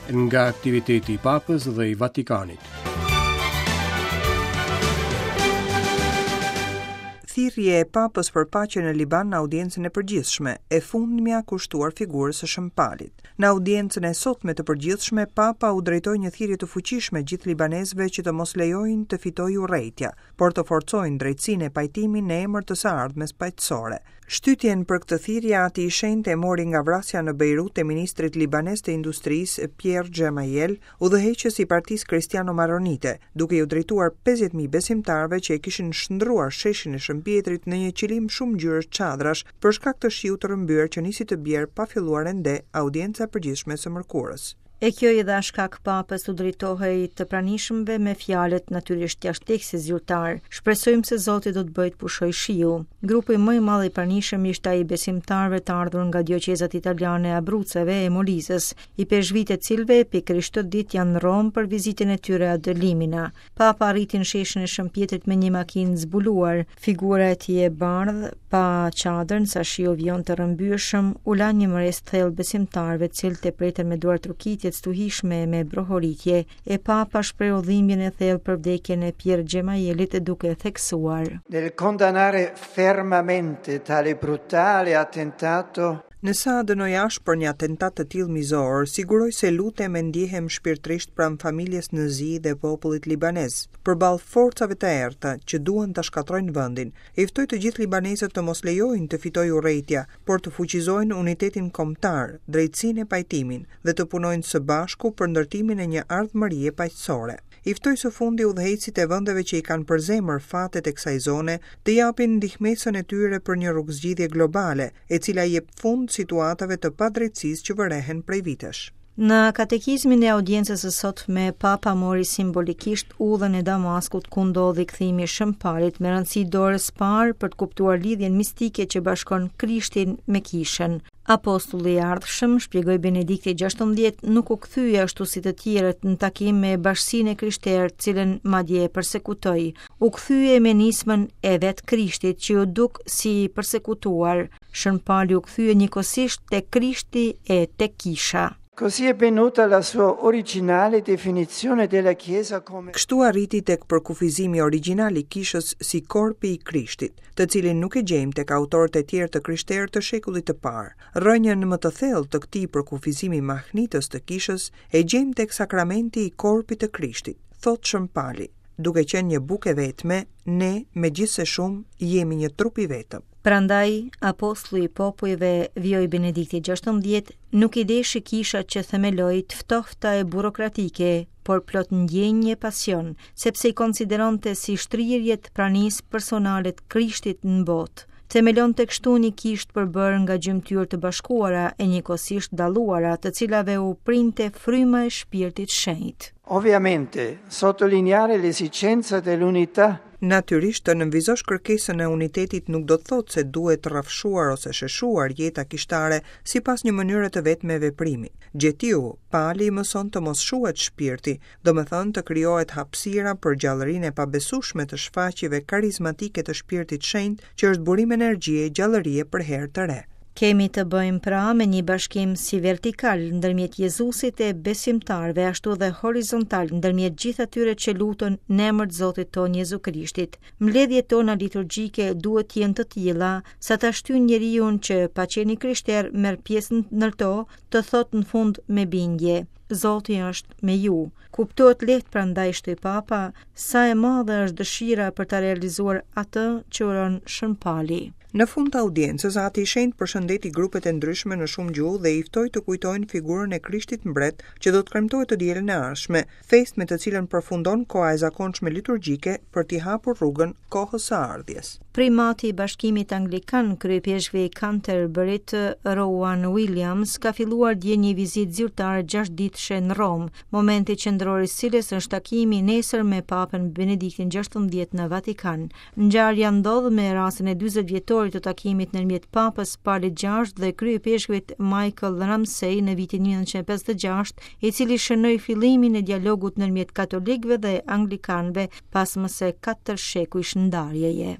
Nga aktiviteti i Papës dhe i Vatikanit. Thirrje e Papës për paqe në Liban në audiencën e përgjithshme, e fundmja kushtuar figurës së Shën Palit. Në audiencën e sotme të përgjithshme, Papa u drejtoi një thirrje të fuqishme gjithë libanezëve që të mos lejojnë të fitojë urrejtja, por të forcojnë drejtësinë e pajtimin në emër të së ardhmes paqësore. Shtytjen për këtë thirrje Ati i Shenjtë e mori nga vrasja në Bejrut e ministrit libanez të Industrisë, Pierre Gemayel, udhëheqës i Partisë Kristiano-Maronite, duke iu drejtuar 50.000 besimtarëve që e kishin shndërruar sheshin e Shën Pjetrit në një qilim shumëngjyrësh çadrash për shkak të shiut të rrëmbyer që nisi të bjerë pa filluar ende audienca e përgjithshme e së mërkurës. E kjo i dha shkak Papës t'u drejtohej të pranishmëve me fjalët natyrisht jashtë tekstit zyrtar. Shpresojmë se Zoti do të bëjë të pushojë shiu. Grupi më i madh i pranishëm ishte ai i besimtarëve të ardhur nga dioqezat italiane e Abruceve e Molizës, ipeshkvijtë e të cilëve pikërisht këtë ditë janë në Romë për vizitën e tyre ad limina. Papa arriti në sheshin e Shën Pjetrit me një makinë zbuluar. Figura e tij e bardhë, pa çadër, sa shiu vijonte rrëmbyeshëm, u la një mbresë të thellë besimtarëve, të cilët e pritën me duartrokitje të stuhishme e me brohoritje. E Papa shprehu dhimbjen e thellë për vdekjen e Pierre Xhemajelit duke theksuar. Nel condannare fermamente tale brutale attentato Ndërsa dënoj ashpër një atentat të tillë mizor, siguroj se lutem e ndjehem shpirtërisht pranë familjes në zi dhe popullit libanez, përballë forcave të errëta që duan ta shkatërrojnë vendin. I ftoj të gjithë libanezët të mos lejojnë të fitojë urrejtja, por të fuqizojnë unitetin kombëtar, drejtësinë e pajtimin dhe të punojnë së bashku për ndërtimin e një ardhmërie paqësore. I ftoj së fundi udhëheqësit e vendeve që i kanë për zemër fatet e kësaj zone të japin ndihmesën e tyre për një rrugëzgjidhje globale, e cila i jep fund situatave të padrejtësisë që vërehen prej vitesh. Në katekizmin e audiencës së sotme, Papa mori simbolikisht udhën e Damaskut ku ndodhi kthimi i Shën Palit me rëndësi dorës parë për të kuptuar lidhjen mistike që bashkon Krishtin me Kishën. Apostulli i ardhshëm, shpjegoi Benedikti XVI, nuk u kthye ashtu si të tjerët në takim me bashkësinë e krishterë, të cilën madje e persekutoi. U kthye me nismën e vetë Krishtit që iu duk si i persekutuar. Shën Pali u kthye njëkohësisht tek Krishti e tek Kisha. Così è venuta la sua originale definizione della Chiesa come Kështu arriti tek përkufizimi origjinal i Kishës si korpi i Krishtit, të cilin nuk e gjejmë tek autorët e tjerë të krishterë të shekullit të parë. Rrënjën më të thellë të këtij përkufizimi mahnitës të Kishës e gjejmë tek sakramenti i korpit të Krishtit, thotë Shën Pali. Duke qenë një bukë e vetme, ne, megjithëse shumë, jemi një trup i vetëm. Prandaj, apostulli i popujve, vijoi Benedikti XVI, nuk i deshi kishat që themeloi të ftohta e burokratike, por plot ndjenjë e pasion, sepse i konsideronte si shtrirje të pranisë personale të Krishtit në botë. Themelonte kështu një kishë të përbërë nga gjymtyrë të bashkuara e njëkohësisht dalluara, të cilave u printe fryma e Shpirtit Shenjt. Ovviamente, sottolineare l'esigenza dell'unità Natyrisht, të nënvizosh kërkesën e unitetit nuk do të thotë se duhet rrafshuar ose sheshuar jeta kishtare sipas një mënyre të vetme veprimi. Gjetiu, Pali mëson të mos shuhet shpirti, domethënë të krijohet hapësira për gjallërinë e pabesueshme të shfaqjeve karizmatike të Shpirtit Shenjt që është burim energjie e gjallërie për herë të re. Kemi të bëjmë pra me një bashkim si vertikal ndërmjet Jezusit e besimtarëve, ashtu dhe horizontal ndërmjet gjithë atyre që luten në emër të Zotit tonë Jezu Krishtit. Mbledhjet tona liturgjike duhet të jenë të tilla sa ta shtyjnë njeriun që pa qenë i krishterë merr pjesë në to, të thotë në fund me bindje, Zoti është me ju. Kuptohet lehtë prandaj shtoi Papa, sa e madhe është dëshira për ta realizuar atë që uron Shën Pali. Në fund të audiencës, Ati i Shenjtë përshëndeti grupet e ndryshme në shumë gjuhë dhe i ftoi të kujtojnë figurën e Krishtit Mbret që do të kremtohet të dielën e ardhshme, festë me të cilën përfundon koha e zakonshme liturgjike për t'i hapur rrugën kohës së ardhjes. Primati i Bashkimit Anglikan, kryeipeshkvi i Canterburyt, Rowan Williams, ka filluar dje një vizitë zyrtare gjashtëditëshe në Romë, momenti qendror i së cilës është takimi nesër me Papën Benediktin XVI në Vatikan. Ngjarja ndodh me rastin e 40 vjetorit të takimit ndërmjet Papës Palit VI dhe kryeipeshkvit Michael Ramsey në vitin 1956, i cili shënoi fillimin e dialogut ndërmjet katolikëve dhe anglikanëve pas më se 4 shekujsh ndarjeje.